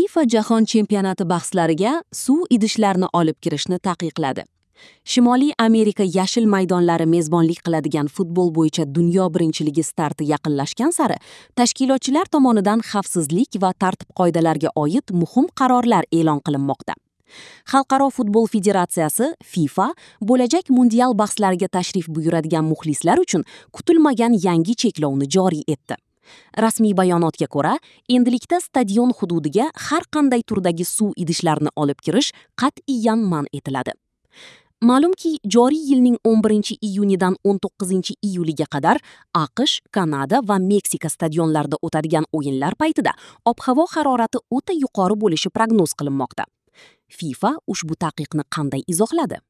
FIFA Jahon chempionati bahslariga suv idishlarini olib kirishni taqiqladi. Shimoliy Amerika yashil maydonlari mezbonlik qiladigan futbol bo'yicha dunyo birinchiligi starti yaqinlashgan sari tashkilotchilar tomonidan xavfsizlik va tartib-qoidalarga oid muhim qarorlar e'lon qilinmoqda. Xalqaro futbol federatsiyasi FIFA bo'lajak mundial bahslariga tashrif buyuradigan muxlislar uchun kutilmagan yangi cheklovni joriy etdi. Rasmiy bayonotga ko'ra, endilikda stadion hududiga har qanday turdagi suv idishlarini olib kirish qat'iyan man etiladi. Ma'lumki, joriy yilning 11-iyunidan 19-iyuliga qadar AQSh, Kanada va Meksika stadionlarida o'tadigan o'yinlar paytida ob-havo harorati o'ta yuqori bo'lishi prognoz qilinmoqda. FIFA ushbu taqiqni qanday izohladi?